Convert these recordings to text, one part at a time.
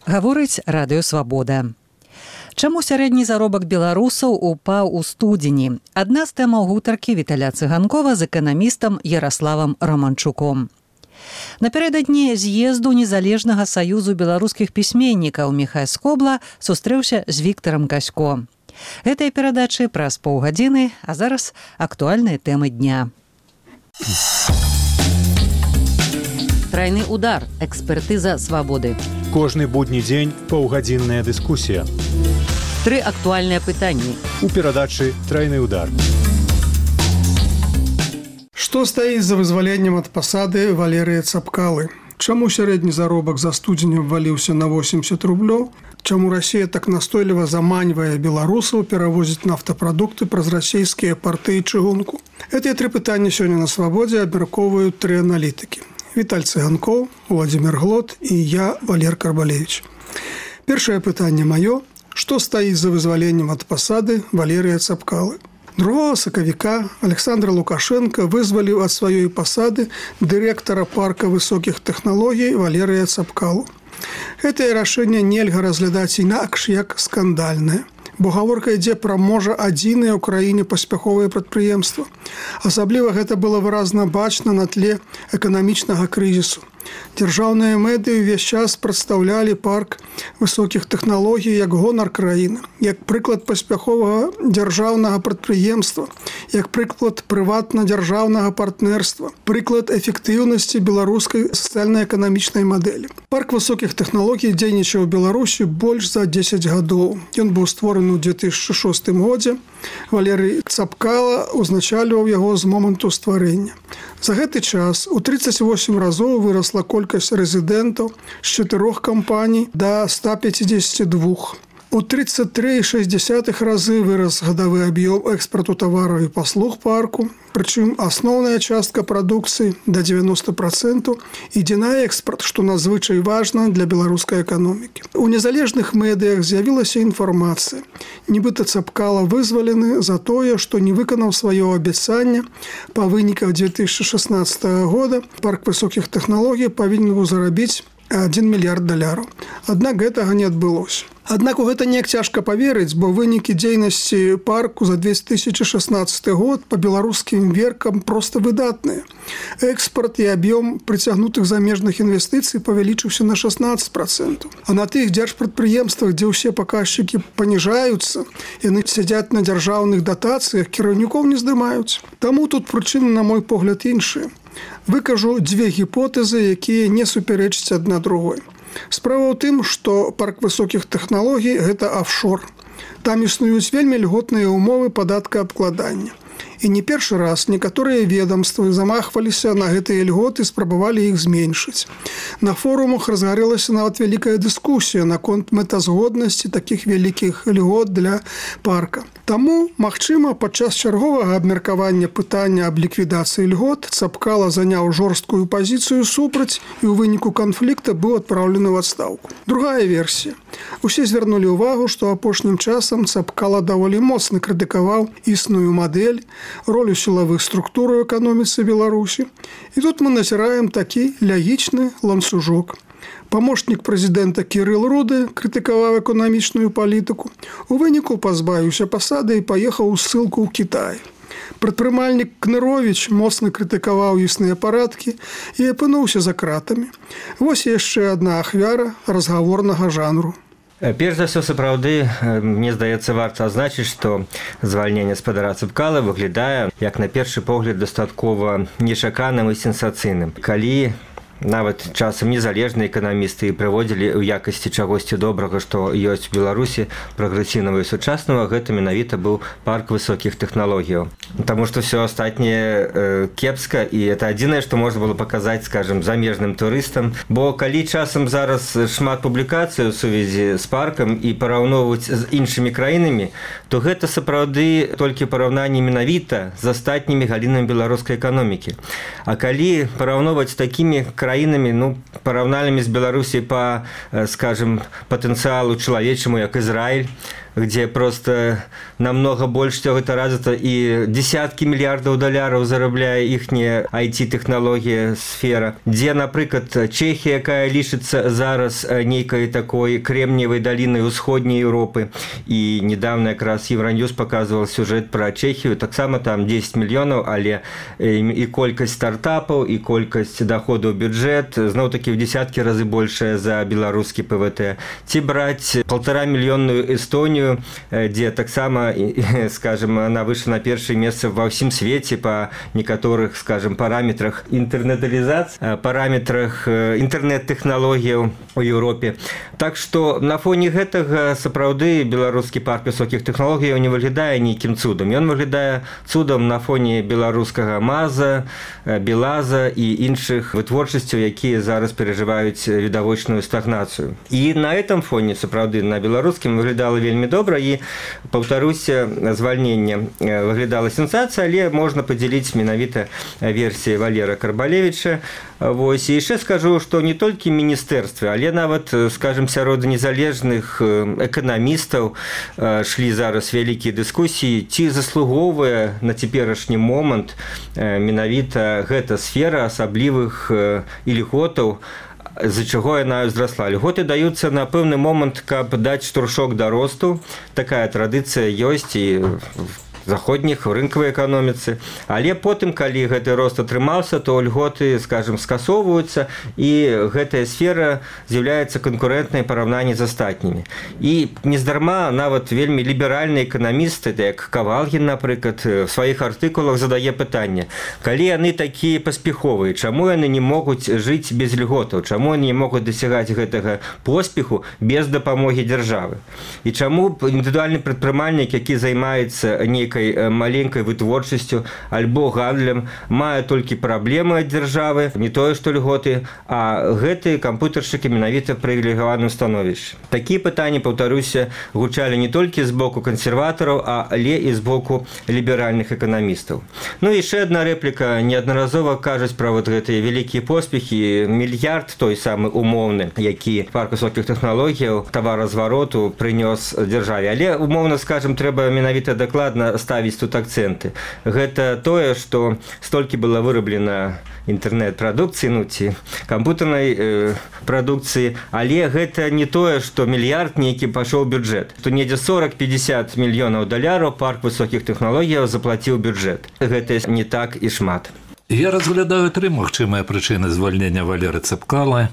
Гаворыць радыё «Свабода». Чаму сярэдні заробак беларусаў упаў у студзені? Адна з тэмаў гутаркі Віталя Цыганкова з эканамістам Яраславам Романчуком. Напярэдадні з'езду Незалежнага саюзу беларускіх пісьменнікаў Міхай Скобла сустрэўся з Віктарам Касько. Гэтыя перадачы праз паўгадзіны, а зараз актуальныя тэмы дня. Трайны удар. Экспертыза свабоды. Кожны будні дзень паўгадзінная дыскусія. 3 актуальныя пытанні. У перадачы «Трайны удар». Што стаіць за вызваленнем ад пасады Валерыя Цапкалы? Чаму сярэдні заробак за студзень абваліўся на 80 рублёў? Чаму Расія так настойліва заманьвае беларусаў перавозіць нафтапрадукты праз расійскія парты і чыгунку? Гэтыя 3 пытанні сёння на свабодзе абмяркоўваюць 3 аналітыкі. Віталь Цыганкоў, Владзімир Глот і я, Валер Карбалевіч. Першае пытанне маё. Што стаіць за вызваленнем ад пасады Валерыя Цапкалы? 2 сакавіка Александр Лукашенко вызваліў ад сваёй пасады дырэктара парка высокіх тэхналогій Валерыя Цапкалу. Гэтае рашэнне нельга разглядаць інакш як скандальнае, бо гаворка ідзе пра можа адзінае ў краіне паспяховае прадпрыемства. Асабліва гэта было выразна бачна на тле эканамічнага крызісу. Дзяржаўныя медыі ўвесь час прадстаўлялі парк высокіх тэхналогій як гонар краіны, як прыклад паспяховага дзяржаўнага прадпрыемства, як прыклад прыватна-дзяржаўнага партнерства, прыклад эфектыўнасці беларускай сацыяльна-эканамічнай мадэлі. Парк высокіх тэхналогій дзейнічаў у Беларусі больш за 10 гадоў. Ён быў створаны ў 2006 годзе. Валерый Цапкала узначальваў яго з моманту стварэння. За гэты час у 38 разоў вырасла колькасць рэзідэнтаў з 4 кампаній да 152. У 33,6 разы вырас гадавы аб'ём экспарту тавараў і паслуг парку, прычым асноўная частка прадукцыі да 90% ідзе на экспарт, што надзвычай важна для беларускай эканомікі. У незалежных медыях з'явілася інфармацыя. Нібыта Цапкала вызвалены за тое, што не выканаў сваё абяцанне. Па выніках 2016 года парк высокіх тэхналогій павінен быў зарабіць $1 мільярд. Аднак гэтага не адбылося. Аднак у гэта неяк цяжка паверыць, бо вынікі дзейнасці парку за 2016 год па беларускім меркам проста выдатныя. Экспарт і аб'ём прыцягнутых замежных інвестыцый павялічыўся на 16%. А на тых дзяржпрадпрыемствах, дзе ўсе паказчыкі паніжаюцца, яны сядзяць на дзяржаўных датацыях, кіраўнікоў не здымаюць. Таму тут прычыны, на мой погляд, іншыя. Выкажу 2 гіпотэзы, якія не супярэчаць адна другой. Справа ў тым, што парк высокіх тэхналогій – гэта офшор. Там існуюць вельмі льготныя ўмовы падаткаабкладання. І не першы раз некаторыя ведомствы замахваліся на гэтыя льготы і спрабавалі іх зменшыць. На форумах разгарэлася нават вялікая дыскусія наконт мэтазгоднасці такіх вялікіх льгот для парка. Таму, магчыма, падчас чарговага абмеркавання пытання аб ліквідацыі льгот Цапкала заняў жорсткую пазіцыю супраць і ў выніку канфлікта быў адпраўлены ў адстаўку. Другая версія. Усе звярнулі ўвагу, што апошнім часам Цапкала даволі моцна крытыкаваў існую мадэль, ролю сілавых структур у эканоміцы Беларусі. І тут мы назіраем такі лягічны ланцужок. Памочнік прэзідэнта Кірыл Руды крытыкаваў эканамічную палітыку. У выніку пазбавіўся пасады і паехаў у ссылку ў Кітай. Прадпрымальнік Кныровіч моцна крытыкаваў існыя парадкі і апынуўся за кратамі. Вось яшчэ адна ахвяра разгаворнага жанру. Перш за ўсё, сапраўды, мне здаецца, варта адзначыць, што звальненне спадара Цапкалы выглядае, як на першы погляд, дастаткова нечаканым і сенсацыйным. Калі нават часам незалежныя эканамісты прыводзілі ў якасці чагосьці добрага, што ёсць у Беларусі, прагрэсіўнага і сучаснага, гэта менавіта быў парк высокіх тэхналогіяў. Таму што ўсё астатняе кепска, і это адзінае, што можна было паказаць, скажам, замежным турыстам. Бо калі часам зараз шмат публікацый у сувязі з паркам і параўноўваць з іншымі краінамі, то гэта сапраўды толькі параўнанне менавіта з астатнімі галінамі беларускай эканомікі. А калі параўноўваць з такімі краінамі, параўнальнымі з Беларусі па, скажем, патэнцыялу чалавечаму, як Ізраіль, где просто намного больше всего это развито, и десятки миллиардов долларов зарабляе ихняя IT-технология сфера, где, например, Чехия, якая лишится зараз некой такой кремниевой долины усходней Европы, и недавно как раз Евроньюз показывал сюжет про Чехию, так само там 10 миллионов, але и колькость стартапов, и колькость доходов в бюджет, знову таки в десятки разы больше за белорусский ПВТ. Ти брать 1,5-миллионную Эстонию, где так само, скажем, она вышла на первое место во всем свете по некоторых, скажем, параметрах интернетализации, параметрах интернет-технологий у Европе. Так что на фоне этого, сапраўды, белорусский парк высоких технологий не выглядае нейким цудом. Он выглядае цудом на фоне белорусского МАЗа, БелАЗа и іншых вытворчасцяў, якія зараз переживаюць відавочную стагнацыю. И на этом фоне, сапраўды, на беларускім выглядала вельмі добра, и, повторюся, звальненне выглядала сенсацыя, але можна падзяліць менавіта версіі Валера Карбалевіча. Вось, і яшчэ скажу, што не толькі міністэрстве, але нават, скажем, сярод незалежных эканамістаў шлі зараз вялікія дыскусіі, ці заслугоўвае на цяперашні момант менавіта гэта сфера асаблівых ільготаў, з-за чаго яна ўзрасла. Льготы даюцца на пэўны момант, каб даць штуршок да росту. Такая традыцыя ёсць і заходніх рынкавай эканоміцы, але потым, калі гэты рост атрымаўся, то льготы, скажем, скасоўваюцца, і гэтая сфера з'яўляецца канкурэнтнай параўнанні з астатнімі. І нездарма нават вельмі ліберальныя эканамісты, як Кавалгін, напрыклад, в сваіх артыкулах задае пытанне: калі яны такія паспяховыя, чаму яны не могуць жыць без льготаў, чаму яны не могуць дасягаць гэтага поспеху без дапамогі дзяржавы? І чаму індывідуальны прадпрымальнік, які займаецца нейкай маленькой вытворчасцю альбо гандлем, мае толькі праблемы ад дзяржавы, не тое што льготы, а гэтыя кампутаршчыкі менавіта в прывілегаваным становішчы. Такія пытанні, паўтаруся, гучалі не толькі з боку кансерватараў, але і з боку ліберальных эканамістаў. Ну і яшчэ адна рэпліка. Неаднаразова кажуць пра вот гэтыя вялікія поспехі. Мільярд той самы умоўны, які парк высокіх тэхналогіяў таваразвароту прынёс дзяржаве. Але умоўна, скажем, трэба менавіта дакладна ставіць тут акцэнты. Гэта тое, што столькі было выраблена інтэрнэт-прадукцыі, ну ці кампутарнай прадукцыі, але гэта не тое, што мільярд нейкі пашоў бюджэт. Тут недзе 40-50 мільёнаў даляраў парк высокіх тэхналогіяў заплаціў бюджэт. Гэта не так і шмат. Я разглядаю три магчымыя прычыны звальнення Валеры Цэпкалы.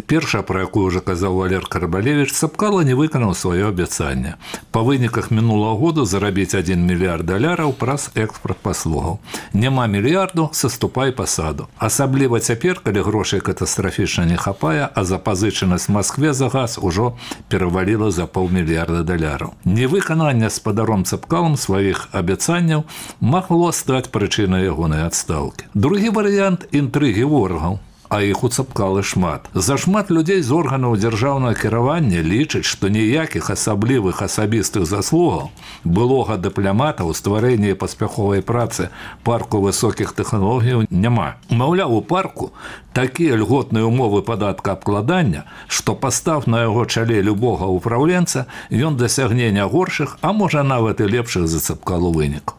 Першая, пра якую ўжо казаў Валер Карбалевіч, Цэпкала не выканаў сваё абяцанне. Па выніках мінулага году зарабіць 1 мільярд даляраў праз экспарт паслугаў. Няма мільярду, саступай пасаду. Асабліва цяпер, калі грошай катастрафічна не хапае, а запазычанасць Маскве за газ ужо пераваліла за $500 мільярдаў. Невыкананне спадаром Цэпкалам сваіх абяцанняў магло стаць прычынай ягонай адстаўкі. Другі варыянт – інтрыгі ворагаў, а іх у Цэпкалы шмат. Зашмат людзей з органаў дзяржаўнага кіравання лічаць, што ніякіх асаблівых асабістых заслугаў былога дыпламата ў стварэнні паспяховай працы парку высокіх тэхналогіяў няма. Маўляў, у парку такія льготныя умовы падаткаабкладання, што пастав на яго чале любога ўпраўленца, ён дасягне не горшых, а можа нават і лепшых за Цэпкалу вынікаў.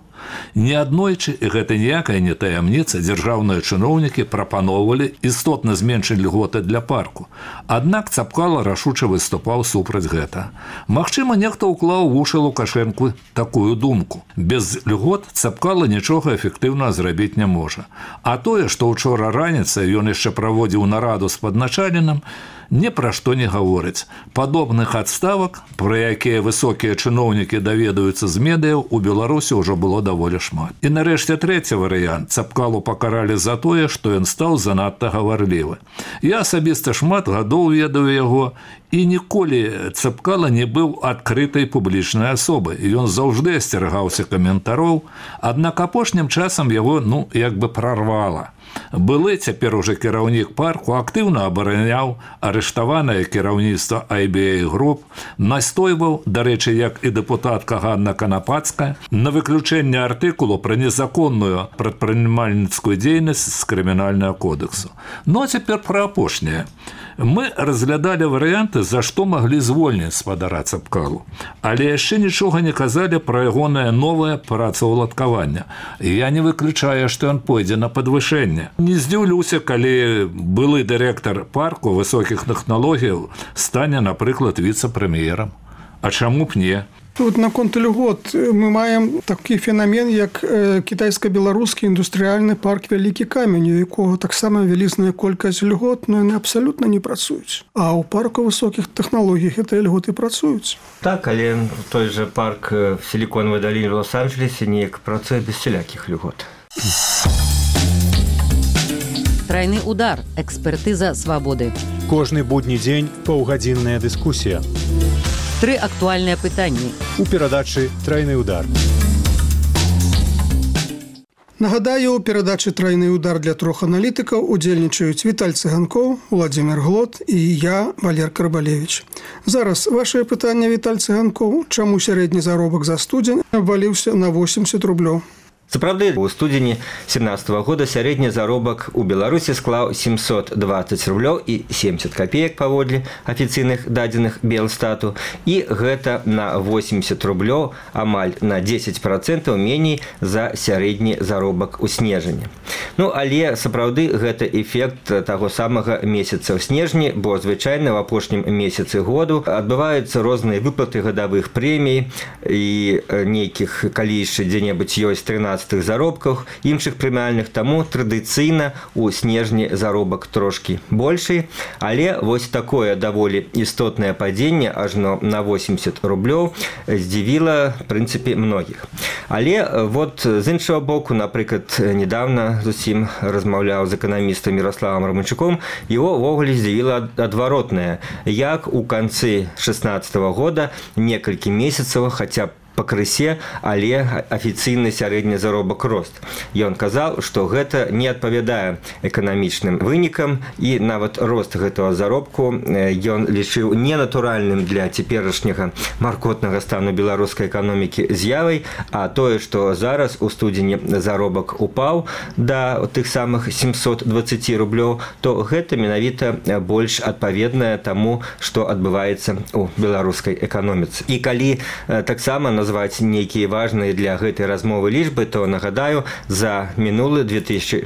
Неаднойчы, і гэта ніякая не таямніца, дзяржаўныя чыноўнікі прапаноўвалі істотна зменшыць льготы для парку. Аднак Цэпкала рашуча выступаў супраць гэта. Магчыма, нехта ўклаў у вушы Лукашэнку такую думку. Без льгот Цэпкала нічога эфектыўна зрабіць не можа. А тое, што ўчора раніцай ён яшчэ праводзіў нараду з падначаленым, ні пра што не гаворыць. Падобных адставак, пра якія высокія чыноўнікі даведаюцца з медыяў, у Беларусі ўжо было даволі шмат. І нарэшце трэці варыянт. Цэпкалу пакаралі за тое, што ён стаў занадта гаварлівы. Я асабіста шмат гадоў ведаю яго, і ніколі Цэпкала не быў адкрытай публічнай асобай. Ён заўжды асцерагаўся каментароў, аднак апошнім часам яго, як бы прарвала. Былы цяпер уже кіраўнік парку актыўна абараняў арыштаванае кіраўніцтва IBA груп, настойваў, дарэчы, як і дэпутатка Ганна Канапацкая, на выключэнне артыкулу пра незаконную прадпрымальніцкую дзейнасць з крымінальнага кодексу. А цяпер пра апошняе. Мы разглядалі варыянты за што маглі звольніць спадара Цапкалу. Але яшчэ нічога не казалі пра ягонае новае працаўладкаванне. Я не выключаю, што ён пойдзе на падвышэнне. Не здзіўлюся, калі былы дырэктар парку высокіх тэхналогіяў стане, напрыклад, віцэ-прэм'ерам. А чаму б не? Тут наконт льгот мы маем такі фенамен, як кітайска-беларускі індустрыяльны парк Вялікі камень, у якога таксама вялізная колькасць льгот, но яны абсалютна не працуюць. А ў парку высокіх тэхналогій гэтыя льготы працуюць. Так, але той жа парк в Сіліконавай даліне ў Лос-Анджелесе неяк працуе без всялякіх льгот. Трайны удар. Экспертыза свабоды. Кожны будні дзень паўгадзінная дыскусія. 3 актуальныя пытанні. У перадачы «Трайны удар». Нагадаю, у перадачы «Трайны удар» для 3 аналітыкаў удзельнічаюць Віталь Цыганкоў, Владзімир Глот і я, Валер Карбалевич. Зараз вашае пытанне, Віталь Цыганкоў. Чаму сярэдні заробак за студзень абваліўся на 80 рублёў? Сапраўды, у студзені 2017 года сярэдні заробак у Беларусі склаў 720 рублёў і 70 копеек паводле афіцыйных дадзеных Белстату, і гэта на 80 рублёў, амаль на 10% меней за сярэдні заробак у снежні. Ну, але сапраўды гэта эфект таго самага месяца ў снежні, бо звычайна ў апошнім месяцы году адбываюцца розныя выплаты гадавых прэмій і нейкіх, калі яшчэ дзе-небудзь ёсць 13 заробках, іншых прэміальных, таму традыцыйна у снежні заробак трошкі большы, але вось такое даволі істотнае падзенне ажно на 80 рублёў здзівіла, в прынцыпе, многіх. Але вот з іншага боку, напрыклад, недавно зусім размаўляў з эканамістам Ярославам Романчуком, его ўвогуле здзівіла адваротнае, як у канцы 2016 года некалькі месяцаў, хаця б пакрысе, але афіцыйны сярэдні заробак рост. Ён казаў, што гэта не адпавядае эканамічным вынікам, і нават рост гэтага заробку ён лічыў ненатуральным для цяперашняга маркотнага стану беларускай эканомікі з'явай, а тое, што зараз у студзені заробак упаў да тых самых 720 рублёў, то гэта менавіта больш адпаведнае таму, што адбываецца ў беларускай эканоміцы. І калі таксама назваць нейкія важныя для гэтай размовы лічбы, то нагадаю, за мінулы 2016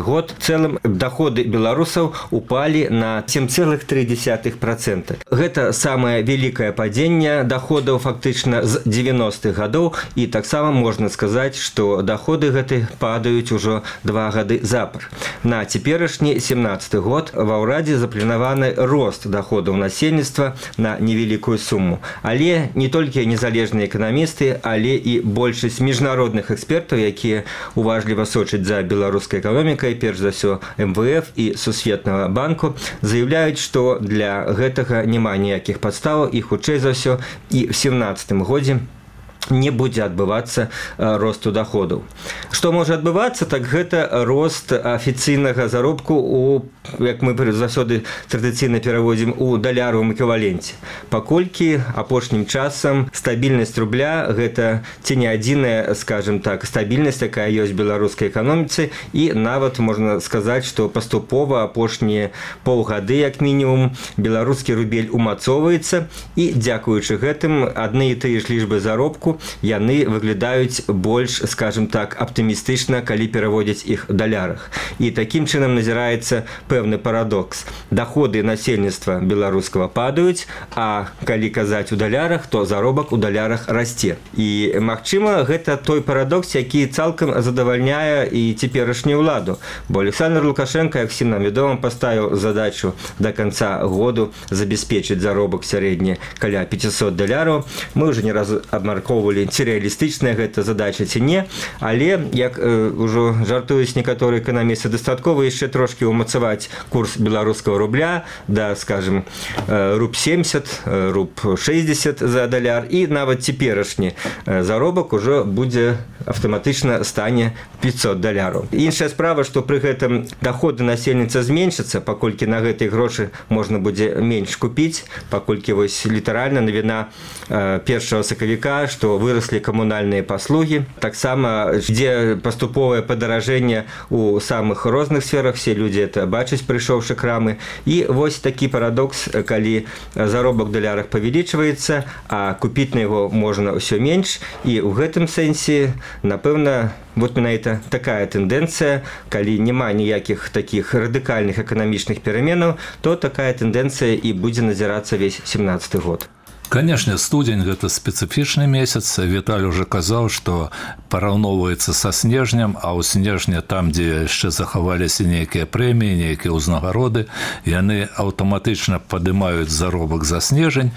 год цэлым даходы беларусаў упалі на 7,3%. Гэта самае вялікае падзенне даходаў фактычна з 90-х гадоў, і таксама можна сказаць, што даходы гэты падаюць ужо 2 гады запар. На цяперашні 17 год ва ўрадзе запланаваны рост даходаў насельніцтва на невялікую суму. Але не толькі незалежныя эканамісты, але і большасць міжнародных экспертаў, якія уважліва сочаць за беларускай эканомікай, перш за ўсё МВФ і Сусветнага банку, заяўляюць, што для гэтага няма ніякіх падстаў, і хутчэй за ўсё і ў 2017 годзе не будзе адбывацца росту даходаў. Што можа адбывацца, так гэта рост афіцыйнага заробку у, як мы заўсёды традыцыйна пераводзім, у даляровым эквіваленце. Паколькі апошнім часам стабільнасць рубля гэта ці не адзіная, скажем так, стабільнасць, якая ёсць в беларускай эканоміцы, і нават можна сказаць, што паступова апошнія паўгады, як мінімум, беларускі рубель умацоўваецца, і дзякуючы гэтым адны і тыя ж лічбы заробку яны выглядаюць больш, скажем так, аптымістычна, калі пераводзяць іх у далярах. І такім чынам назіраецца пэўны парадокс. Даходы насельніцтва беларускага падаюць, а калі казаць у далярах, то заробак у далярах расце. І, магчыма, гэта той парадокс, які цалкам задавальняе і цяперашнюю ўладу. Бо Александр Лукашенко, як всім нам вядома, паставіў задачу да канца году забяспечыць заробак сярэдні каля 500 даляраў. Мы ўжо не раз абмяркоўвалі, ці рэалістычная гэта задача, ці не, але, як ужо жартуюць некаторыя эканамісты, дастаткова яшчэ трошкі умацаваць курс беларускага рубля да, скажем, руб 70, руб 60 за даляр, і нават цяперашні заробак ужо будзе аўтаматычна стане $500. Іншая справа, што пры гэтым даходы насельніцтва зменшацца, паколькі на гэтыя грошы можна будзе менш купіць, паколькі вось літаральна навіна 1 сакавіка, што выраслі камунальныя паслугі. Таксама ідзе паступовае падаражэнне ў самых розных сферах, все людзі это бачаць, прыйшоўшы крамы. І вось такі парадокс, калі заробак у далярах павялічваецца, а купіць на яго можна ўсё менш. І ў гэтым сэнсе, напэўна, вот менавіта такая тэндэнцыя, калі няма ніякіх такіх радыкальных эканамічных пераменаў, то такая тэндэнцыя і будзе назірацца весь 17 год. Конечно, студень – это специфичный месяц. Виталий уже сказал, что пораўноўваецца со снежнем, а у снежня там, где еще захаваліся некие премии, некие узнагароды, яны аўтаматычна падымаюць заробак за снежень.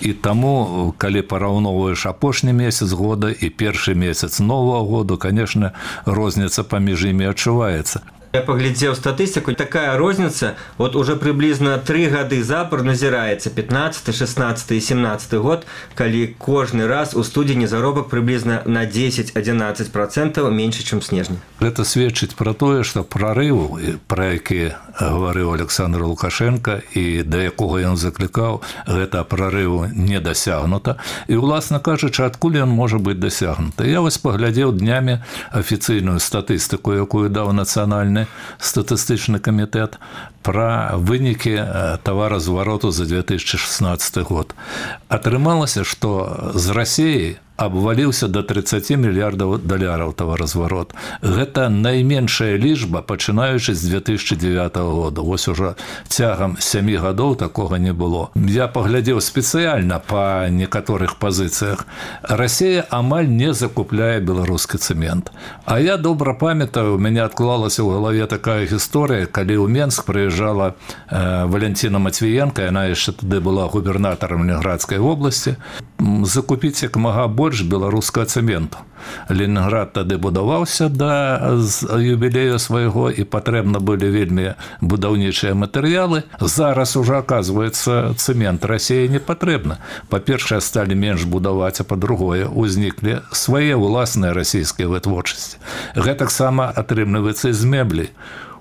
И тому, калі пораўноўваеш апошні месяц года и первый месяц нового года, конечно, розніца паміж імі адчуваецца. Я поглядзеў статыстыку, такая розніца вот уже приблизно 3 гады запар назіраецца, 15, 16 и 17 год, калі кожны раз у студзені заробак приблизно на 10-11% меньше, чем снежня. Это сведчыць про тое, што прорыву, про які гаварыў Александр Лукашенко і да якога ён заклікаў, гэта прорыву не дасягнута. І, уласна кажучы, адкуль ён можа быць дасягнута? Я вось паглядзеў днямі афіцыйную статыстыку, якую даў нацыянальны статыстычны камітэт пра вынікі таваразвароту за 2016 год. Атрымалася, што з Расіі абваліўся до $30 мільярдаў таваразварот. Гэта найменшая лічба, пачынаючы з 2009 года. Вось ужо цягам 7 гадоў такога не было. Я паглядзеў спецыяльна па некаторых пазіцыях. Расія амаль не закупляе беларускі цэмент. А я добра памятаю, у мяне адклалася ў галаве такая гісторыя, калі ў Менск прыязджала Валентина Матвіенка, яна яшчэ тады была губернатарам Ленинградскай вобласці, закупіць як мага больш беларускага цэменту. Ленінград тады будаваўся да юбілею свайго, і патрэбна былі вельмі будаўнічыя матэрыялы. Зараз ужо, аказваецца, цэмент Расіі не патрэбна. Па-першае, сталі менш будаваць, а па-другое, узніклі свае ўласныя расійскія вытворчасці. Гэтаксама атрымліваецца з мэблі.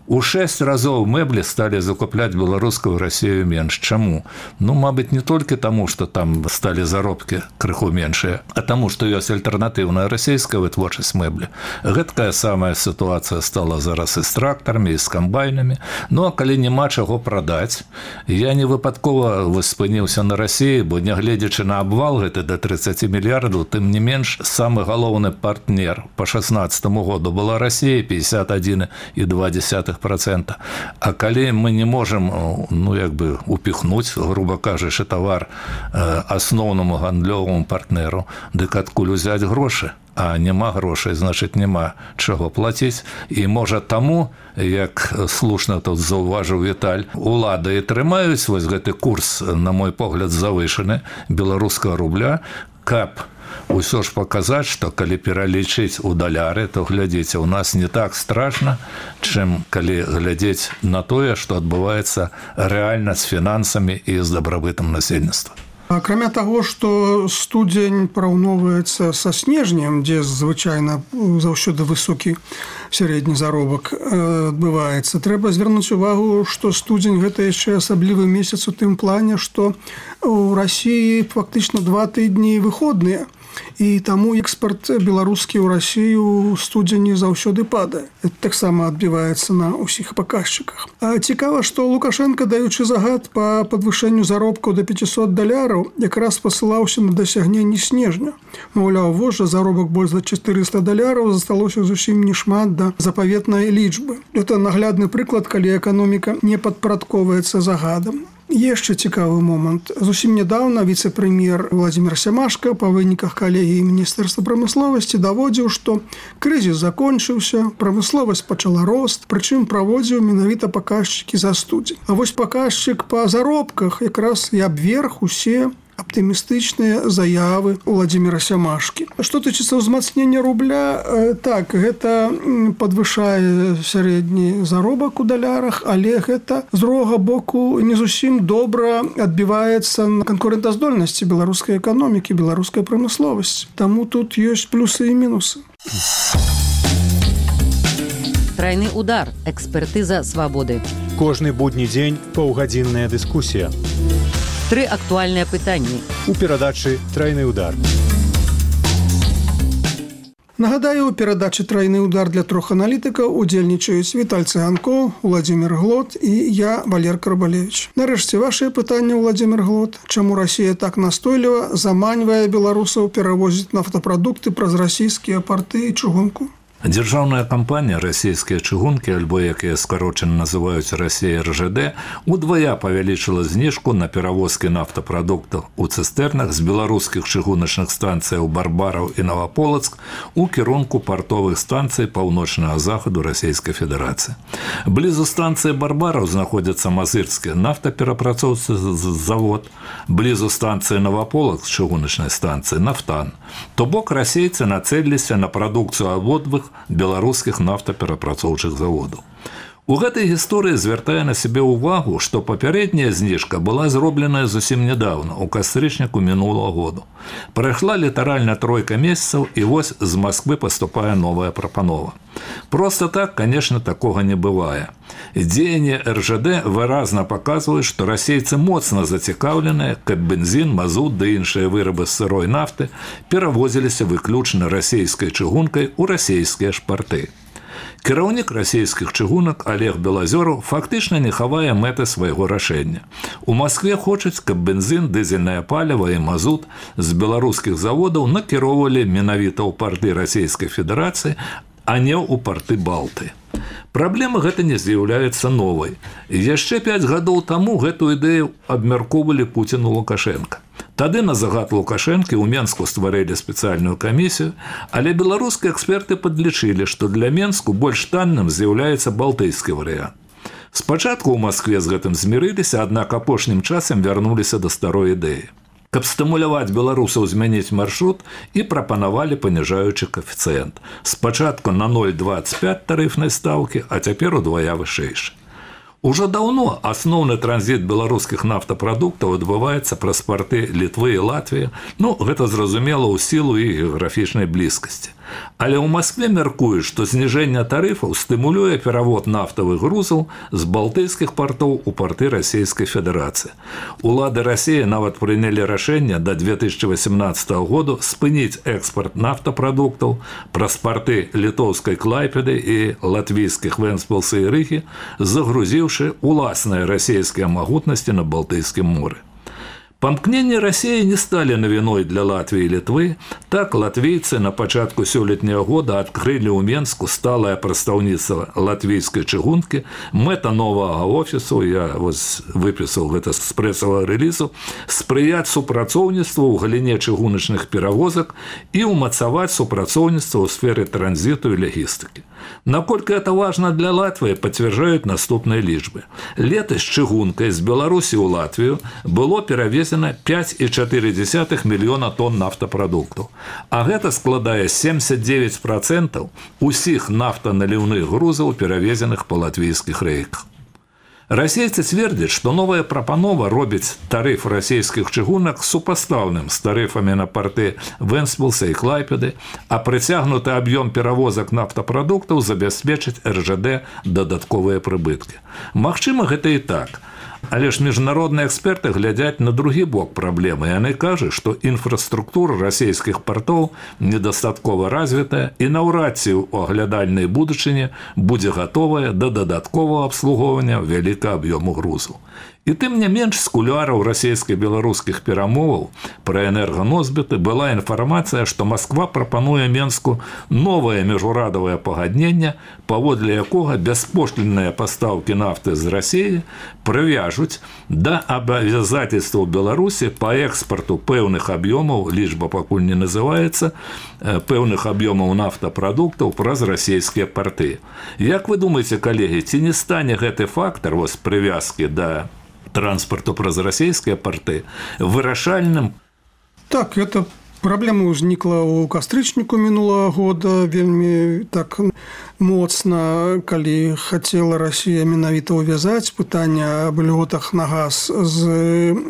У 6 разоў мэблі сталі закупляць беларускую Расію менш. Чаму? Ну, мабыць, не толькі таму, што там сталі заробкі крыху меншыя, а таму, што ёсць альтэрнатыўная расійская вытворчасць мэблі. Гэткая самая сітуацыя стала зараз і з трактарамі, і з камбайнамі. Ну, а калі няма чаго прадаць, я не выпадкова спыніўся на Расіі, бо нягледзячы на абвал гэты да 30 мільярдаў, тым не менш, самы галоўны партнер па 16 году была Расія, 51,2%. А калі мы не можем, ну, як бы упихнуть, грубо кажучи, товар асноўнаму гандлёваму партнеру, дык адкуль узяць грошы? А няма грошай, значыць, няма чаго плаціць. І, можа, таму, як слушна тут заўважыў Віталь, улады і трымаюць вось гэты курс, на мой погляд, завышаны беларускага рубля, каб усё ж паказаць, што калі пералічыць у даляры, то, глядзіце, у нас не так страшна, чым калі глядзець на тое, што адбываецца рэальна з фінансамі і з дабрабытам насельніцтва. Акрамя таго, што студзень параўноўваецца са снежнем, дзе звычайна заўсёды высокі сярэдні заробак адбываецца, трэба звярнуць увагу, што студзень – гэта яшчэ асаблівы месяц у тым плане, што ў Расіі фактычна 2 тыдні выходныя. І таму экспарт беларускі ў Расію ў студзені заўсёды падае. Это таксама адбіваецца на ўсіх паказчыках. А цікава, што Лукашенко, даючы загад па падвышэнню заробкаў да $500, якраз пасылаўся на дасягненне снежня. Маўляў, вось жа заробак больш за $400, засталося зусім нешмат да запаветнай лічбы. Это наглядны прыклад, калі эканоміка не падпарадковваецца загадам. Яшчэ цікавы момант. Зусім нядаўна віцэ-прэм'ер Владзімір Сямашка па выніках калегіі Міністэрства прамысловасці даводзіў, што крызіс закончыўся, прамысловасць пачала рост, прычым праводзіў менавіта паказчыкі за студзень. А вось паказчык па заробках якраз і абверг усе аптымістычныя заявы Владимира Сямашкі. Што тычыцца ўзмацнення рубля, так, гэта падвышае сярэдні заробак у далярах, але гэта з другога боку не зусім добра адбіваецца на канкурэнтаздольнасці беларускай эканомікі, беларускай прамысловасці. Таму тут ёсць плюсы і мінусы. Трайны удар. Экспертыза свабоды. Кожны будні дзень паўгадзінная дыскусія. 3 актуальныя пытанні. У перадачы «Трайны удар». Нагадаю, у перадачы «Трайны удар» для 3 аналітыкаў удзельнічаюць Віталь Цыганкоў, Владимир Глот і я, Валер Карбалевич. Нарэшце, вашыя пытанні, Владимир Глот. Чаму Расія так настойліва заманьвае беларусаў перавозіць нафтапрадукты праз расійскія парты і чыгунку? Дзяржаўная кампанія «Расійскія чыгункі», альбо, як яе скарочана называюць «Расія РЖД», удвая павялічыла зніжку на перавозкі нафтапрадуктаў у цыстэрнах з беларускіх чыгуначных станцыяў Барбараў і Новаполацк у кірунку партовых станцый паўночнага захаду Расійскай Федэрацыі. Блізу станцыі Барбараў знаходзіцца мазырскі нафтаперапрацоўчы завод, блізу станцыі Новаполацк чыгуначнай станцыі «Нафтан». То бок расейцы нацэліліся на прадукцыю абодвых беларускіх нафтаперапрацоўчых заводаў. У гэтай гісторыі звяртае на сябе ўвагу, што папярэдняя зніжка была зробленая зусім нядаўна, у кастрычніку мінулага году. Прайшла літаральна 3 месяцаў, і вось з Масквы паступае новая прапанова. Проста так, конечно, такога не бывае. Дзеянні РЖД выразна паказваюць, што расейцы моцна зацікаўленыя, каб бензін, мазут ды іншыя вырабы з сырой нафты перавозіліся выключна расійскай чыгункай у расійскія ж парты. Кіраўнік расійскіх чыгунак Олег Белазёраў фактычна не хавае мэты свайго рашэння. У Маскве хочуць, каб бензін, дызельнае паліва і мазут з беларускіх заводаў накіроўвалі менавіта ў парты Расійскай Федэрацыі, а не ў парты Балты. Праблема гэта не з'яўляецца новай. Яшчэ 5 гадоў таму гэтую ідэю абмяркоўвалі Пуцін і Лукашенка. Тады на загад Лукашэнкі ў Менску стварылі спецыяльную камісію, але беларускія эксперты падлічылі, што для Менску больш танным з'яўляецца балтыйскі варыянт. Спачатку ў Маскве з гэтым змірыліся, аднак апошнім часам вярнуліся да старой ідэі. Каб стымуляваць беларусаў змяніць маршрут, і прапанавалі паніжаючы каэфіцыент. Спачатку на 0,25 тарыфнай стаўкі, а цяпер удвая вышэйшы. Ужо даўно асноўны транзіт беларускіх нафтапрадуктаў адбываецца праз парты Літвы і Латвіі, гэта зразумела ў сілу і геаграфічнай блізкасці. Але ў Маскве мяркуюць, што зніжэнне тарыфаў стымулюе перавод нафтавых грузаў з балтыйскіх партоў у парты Расійскай Федэрацыі. Улады Расіі нават прынялі рашэнне да 2018 году спыніць экспарт нафтапрадуктаў праз парты літоўскай Клайпеды і латвійскіх Вэнспілса і Рыгі, загрузіўшы уласныя расійскія магутнасці на Балтыйскім моры. Памкненні Расіі не сталі навіной для Латвіі і Літвы. Так, латвійцы на пачатку сёлетняга года адкрылі ў Менску сталае прадстаўніцтва латвійскай чыгункі. Мэта новага офісу, я выпісаў гэта з прэсавага рэлізу, спрыяць супрацоўніцтву ў галіне чыгуначных перавозак і ўмацаваць супрацоўніцтва ў сферы транзіту і логістыкі. Наколькі это важна для Латвіі, пацвярджаюць наступныя лічбы. Летась чыгункай з Беларусі ў Латвію было перавезена 5,4 мільёна тонн нафтапрадуктаў. А гэта складае 79% усіх нафтаналіўных грузаў, перавезеных па латвійскіх рэйках. Расейцы цвердзяць, што новая прапанова робіць тарыф расійскіх чыгунак супастаўным з тарыфамі на парты Вэнспілса і Клайпеды, а прыцягнуты аб'ём перавозак нафтапрадуктаў забяспечыць РЖД дадатковыя прыбыткі. Магчыма, гэта і так. Але ж міжнародныя эксперты глядзяць на другі бок праблемы. Яны кажуць, што інфраструктура расійскіх партоў недастаткова развітая і наўрад ці ў аглядальнай будучыні будзе гатовая да дадатковага абслугоўвання вялікага аб'ёму грузаў. І тым не менш, з кулуараў расійска-беларускіх перамоваў пра энерганосьбіты была інфармацыя, што Масква прапануе Менску новае міжурадавае пагадненне, паводле якога бяспошлінныя пастаўкі нафты з Расіі прывяжуць да абавязательстваў Беларусі па экспарту пэўных аб'ёмаў, лічба пакуль не называецца, пэўных аб'ёмаў нафтапрадуктаў праз расійскія парты. Як вы думаеце, калегі, ці не стане гэты фактар прывязкі да транспарту праз расійскія порты вырашальным? Так, это праблема ўзнікла ў кастрычніку мінулага года вельмі так моцна, калі хацела Расія менавіта ўвязаць пытанне аб льготах на газ з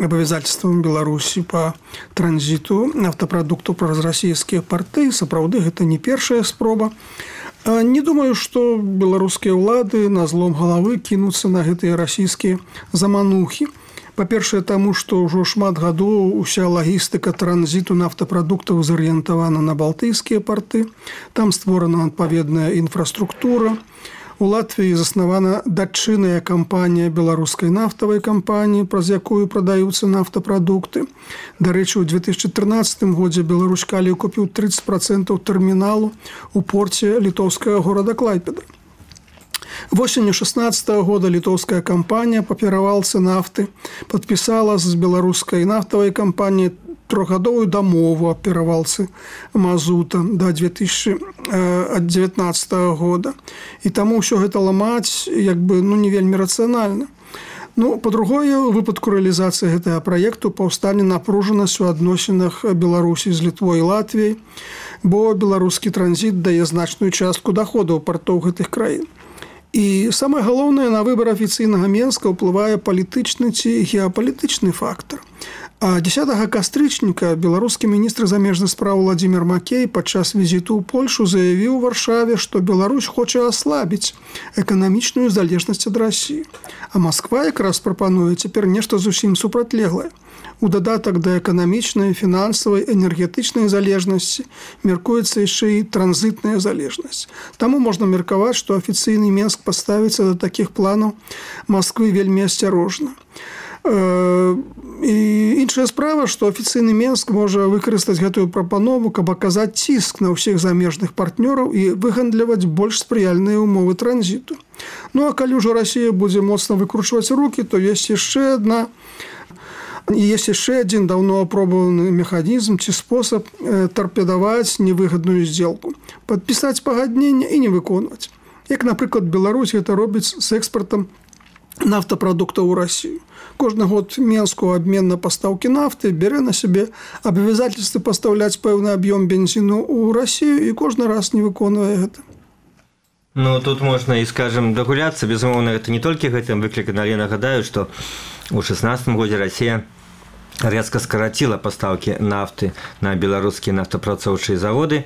абавязательствам Беларусі па транзіту нафтапрадуктаў праз расійскія парты. Сапраўды, гэта не першая спроба. Не думаю, што беларускія ўлады на злом галавы кінуцца на гэтыя расійскія заманухі. Па-першае, таму, што ўжо шмат гадоў уся лагістыка транзіту нафтапрадуктаў зарыентавана на балтыйскія парты. Там створана адпаведная інфраструктура. У Латвіі заснавана дачынная кампанія беларускай нафтавай кампаніі, праз якую прадаюцца нафтапрадукты. Дарэчы, у 2013 годзе Беларусь Калій купіў 30% тэрміналу ў порце літоўскага горада Клайпеда. Восенню 2016 года літоўская кампанія па перавалцы нафты падпісала з беларускай нафтавай кампаніяй трохгадовую дамову аб перавалцы мазута да 2019 года. І таму ўсё гэта ламаць не вельмі рацыянальна. Па-другое, у выпадку рэалізацыі гэтага праекту паўстане напружанасць у адносінах Беларусі з Літвой і Латвіяй, бо беларускі транзіт дае значную частку доходаў партоў гэтых краін. І самае галоўнае, на выбар афіцыйнага Менска ўплывае палітычны ці геапалітычны фактар. А 10 кастрычніка беларускі міністр замежных спраў Владзімір Макей падчас візіту ў Польшу заявіў у Варшаве, што Беларусь хоча аслабіць эканамічную залежнасць ад Расіі. А Масква якраз прапануе цяпер нешта зусім супрацьлеглае. У дадатак да эканамічнай, фінансавай, энергетычнай залежнасці мяркуецца яшчэ і транзітная залежнасць. Таму можна меркаваць, што афіцыйны Менск паставіцца да такіх планаў Масквы вельмі асцярожна. І іншая справа, што афіцыйны Менск можа выкарыстаць гэтую прапанову, каб аказаць ціск на ўсіх замежных партнёраў і выгандляваць больш спрыяльныя ўмовы транзіту. А калі ўжо Расія будзе моцна выкручваць рукі, то ёсць яшчэ адзін даўно апробаваны механізм ці спосаб тарпедаваць невыгадную здзелку, падпісаць пагадненне і не выконваць. Як, напрыклад, Беларусь гэта робіць з экспартам нафтапрадуктаў у Расію. Кожны год Менску абмен на пастаўкі нафты бярэ на сябе абавязательствы пастаўляць пэўны аб'ём бензіну ў Расію і кожны раз не выконвае гэта. Тут можна і, скажем, дагуляцца. Безумоўна, гэта не толькі гэтым выклікана, але нагадаю, што ў 2016 годзе Расія резко скараціла пастаўкі нафты на беларускія нафтапрацоўчыя заводы.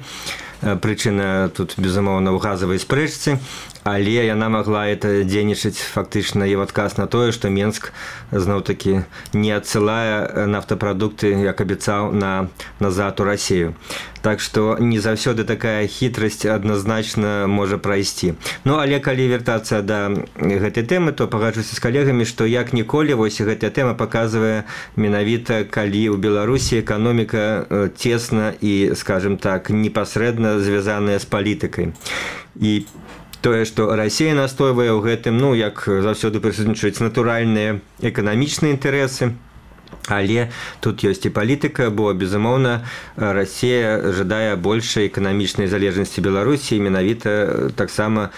Прычына тут, безумоўна, ў газавай спрэчцы, але яна магла это дзейнічаць фактычна і ў адказ на тое, што Менск зноў-такі не адсылае нафтапрадукты, як абяцаў, назад у Расію. Так што не заўсёды такая хітрасць адназначна можа прайсці. Але калі вяртацца да гэтай тэмы, то пагаджуся з калегамі, што як ніколі вось гэтая тэма паказвае менавіта, калі ў Беларусі эканоміка цесна і, скажем так, непасрэдна звязаная з палітыкай. І тое, што Расія настойвае ў гэтым, як заўсёды прысутнічаюць натуральныя эканамічныя інтарэсы, але тут ёсць і палітыка, бо, безумоўна, Расія жадае большай эканамічнай залежнасці Беларусі, менавіта таксама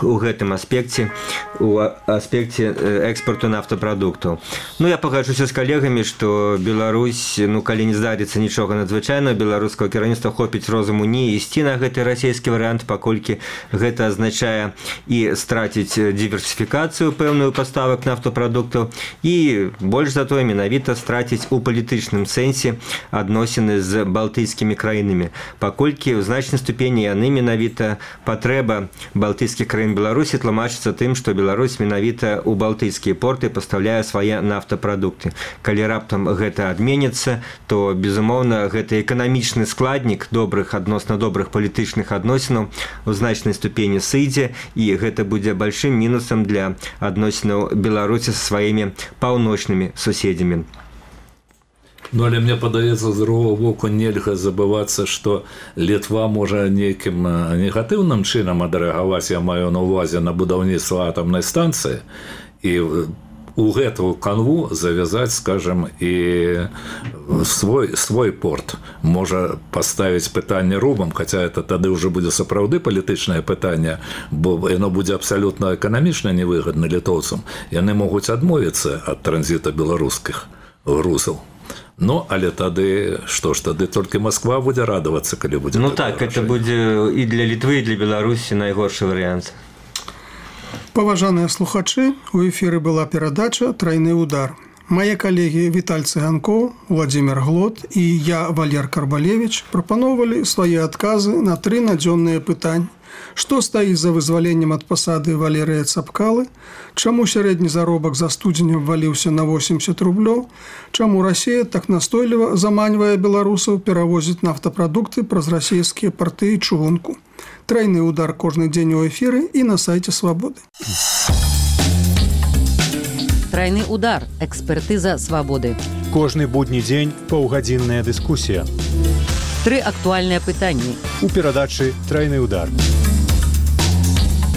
у гэтым аспекце, у аспекце экспарту нафтапрадуктаў. Я пагаджуся з калегамі, што Беларусь, калі не здарыцца нічога надзвычайнага, беларускага кіраўніцтва хопіць розуму не ісці на гэты расійскі варыянт, паколькі гэта азначае і страціць дыверсіфікацыю пэўную паставак нафтапрадуктаў і больш за тое менавіта страціць у палітычным сэнсе адносіны з балтыйскімі краінамі, паколькі ў значнай ступені яны менавіта патрэба балтыйскіх краін Беларусі тлумачыцца тым, што Беларусь менавіта ў балтыйскія порты пастаўляе свае нафтапрадукты. Калі раптам гэта адменіцца, то, безумоўна, гэта эканамічны складнік адносна добрых палітычных адносінаў у значнай ступені сыдзе, і гэта будзе большим мінусам для адносінаў Беларусі са сваімі паўночнымі суседзямі. Але мне падаецца, з другого боку нельга забывацца, што Літва можа нейкім негатыўным чынам адрэагаваць, я маю на ўвазе, на будаўніцтва атамнай станцыі, і у гэтую канву завязаць, скажем, і свой порт. Можа паставіць пытанне рубам, хаця это тады ўжо будзе сапраўды палітычнае пытанне, бо яно будзе абсалютна эканамічна невыгадна літоўцам. Яны могуць адмовіцца ад транзіта беларускіх грузаў. Ну, але тады, што ж, тады толькі Москва будзе радавацца, калі будзе... Ну так, это будзе і для Літвы, і для Беларусі найгоршы варыянт. Паважаныя слухачы, у эфіры была перадача «Трайны удар». Мае калегі Віталь Цыганкоў, Владзімір Глот і я, Валер Карбалевіч, прапаноўвалі свае адказы на 3 надзённыя пытанні. Што стаіць за вызваленнем ад пасады Валерыя Цапкалы? Чаму сярэдні заробак за студзень абваліўся на 80 рублёў? Чаму Расія так настойліва заманьвае беларусаў перавозіць нафтапрадукты праз расійскія парты і чыгунку? Трайны удар кожны дзень у эфіры і на сайце Свабоды. Трайны удар. Экспертыза Свабоды. Кожны будні дзень паўгадзінная дыскусія. 3 актуальныя пытанні. У перадачы «Трайны удар».